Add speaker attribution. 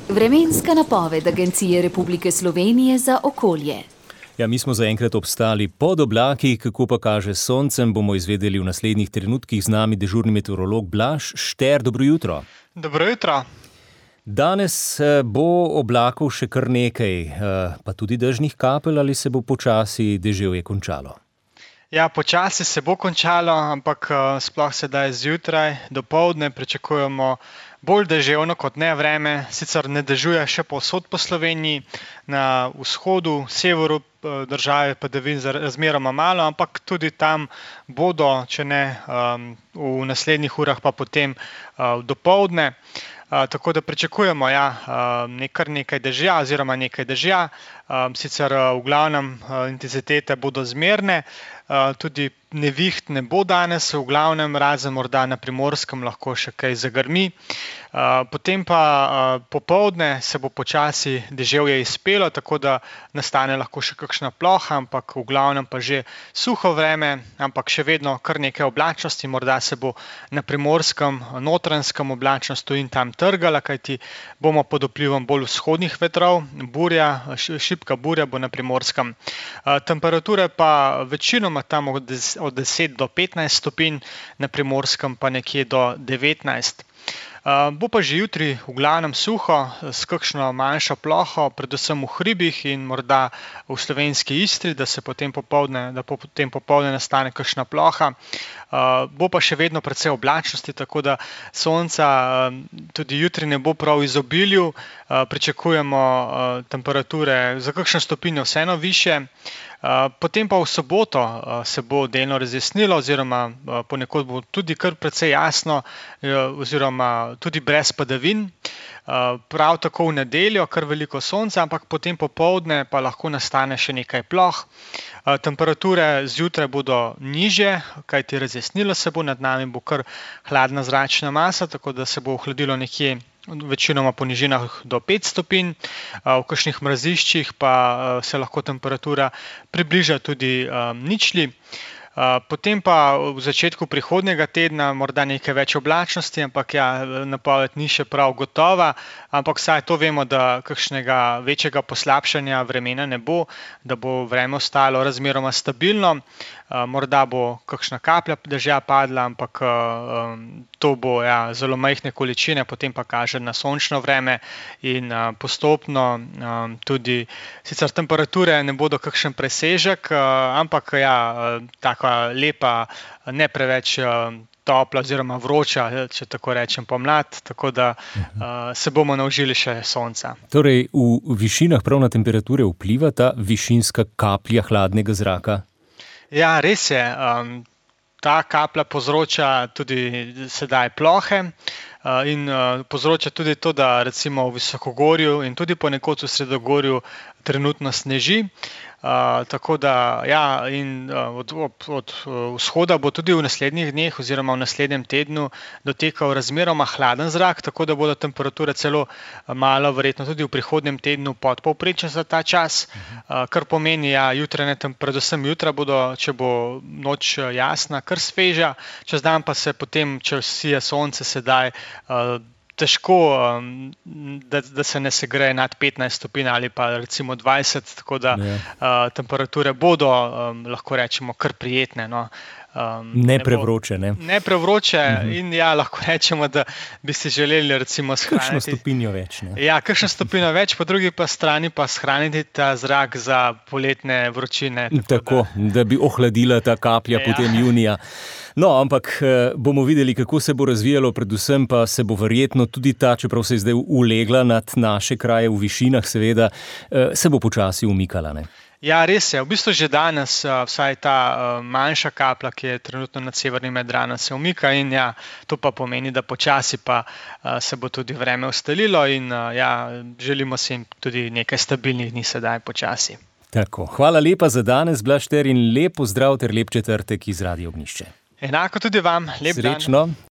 Speaker 1: Vremenska napoved Agencije Republike Slovenije za okolje.
Speaker 2: Ja, mi smo zaenkrat obstali pod oblaki, kako pa kaže s soncem, bomo izvedeli v naslednjih trenutkih. Z nami dežurni meteorolog Blaž Šter. Dobro jutro.
Speaker 3: Dobro jutro.
Speaker 2: Danes bo oblakov še kar nekaj, pa tudi dežnih kapelj, ali se bo počasi deževje končalo?
Speaker 3: Ja, počasi se bo končalo, ampak sploh sedaj zjutraj, dopoldne pričakujemo bolj deževno kot ne vreme. Sicer ne dežuje še povsod po Sloveniji, na vzhodu, severu države padavin razmeroma malo, ampak tudi tam bodo, če ne v naslednjih urah, pa potem dopoldne. Tako da pričakujemo kar nekaj dežja oziroma nekaj dežja. Sicer v glavnem intenzitete bodo zmerne, tudi neviht ne bo danes, v glavnem razen morda na Primorskem lahko še kaj zagrmi. Potem pa popoldne se bo počasi deževje izpelo, tako da nastane lahko še kakšna ploha, ampak v glavnem pa že suho vreme, ampak še vedno kar nekaj oblačnosti. Morda se bo na Primorskem, Notranjskem oblačnost tu in tam trgala, kajti bomo pod vplivom bolj vzhodnih vetrov, šibka burja bo na Primorskem. Temperature pa večinoma tam od 10 do 15 stopinj, na Primorskem pa nekje do 19. Bo pa že jutri v glavnem suho, s kakšno manjšo ploho, predvsem v hribih in morda v slovenski Istri, da potem popoldne nastane kakšna ploha. Bo pa še vedno precej oblačnosti, tako da sonca tudi jutri ne bo prav v izobilju. Pričakujemo temperature za kakšno stopinjo vseeno višje. Potem pa v soboto se bo delno razjasnilo oziroma ponekod bo tudi kar precej jasno oziroma tudi brez padavin. Prav tako v nedeljo kar veliko sonca, ampak potem popoldne pa lahko nastane še nekaj ploh. Temperature zjutraj bodo nižje, kajti razjasnilo se bo, nad nami bo kar hladna zračna masa, tako da se bo ohladilo nekje večinoma po nižinah do 5 stopinj, v kakšnih mraziščih pa se lahko temperatura približa tudi ničli. Potem pa v začetku prihodnjega tedna morda nekaj več oblačnosti, ampak napoved ni še prav gotova, ampak vsaj to vemo, da kakšnega večjega poslabšanja vremena ne bo, da bo vreme ostalo razmeroma stabilno. Morda bo kakšna kaplja dežja padla, ampak to bo zelo majhne količine, potem pa kaže na sončno vreme in postopno tudi, sicer temperature ne bodo kakšen presežek, ampak taka lepa, ne preveč topla oziroma vroča, če tako rečem, pomlad, tako da se bomo naužili še sonca.
Speaker 2: Torej, v višinah prav na temperature vpliva ta višinska kaplja hladnega zraka?
Speaker 3: Ja, res je. Ta kaplja povzroča tudi sedaj plohe in povzroča tudi to, da recimo v visokogorju in tudi ponekod v sredogorju trenutno sneži. Tako da in od vzhoda bo tudi v naslednjih dneh oziroma v naslednjem tednu dotekal razmeroma hladen zrak, tako da bodo temperature celo malo verjetno tudi v prihodnjem tednu podpovprečne za ta čas, kar pomeni, predvsem jutra bodo, če bo noč jasna, kar sveža, čez dan pa se potem, če sije sonce sedaj, težko, da se ne segreje nad 15 stopinj ali pa recimo 20, tako da temperature bodo, lahko rečemo, kar prijetne.
Speaker 2: Ne prevroče, ne?
Speaker 3: Ne prevroče in lahko rečemo, da bi si želeli recimo shraniti.
Speaker 2: Kakšno stopinjo več, ne?
Speaker 3: Ja, kakšno stopinjo več, po drugi pa strani pa shraniti ta zrak za poletne vročine.
Speaker 2: Tako, da bi ohladila ta kaplja potem junija. No, ampak bomo videli, kako se bo razvijalo, predvsem pa se bo verjetno tudi ta, čeprav se je zdaj ulegla nad naše kraje v višinah, seveda, se bo počasi umikala, ne?
Speaker 3: Ja, res je. V bistvu že danes vsaj ta manjša kaplja, ki je trenutno nad severnim Jadranom, se umika in to pa pomeni, da počasi pa se bo tudi vreme ustalilo in želimo si tudi nekaj stabilnih dni sedaj počasi.
Speaker 2: Tako, hvala lepa za danes, Blaž Šter, in lep pozdrav ter lep četrtek iz Radia Ognjišče.
Speaker 3: Enako tudi vam, lep dan.
Speaker 2: Srečno.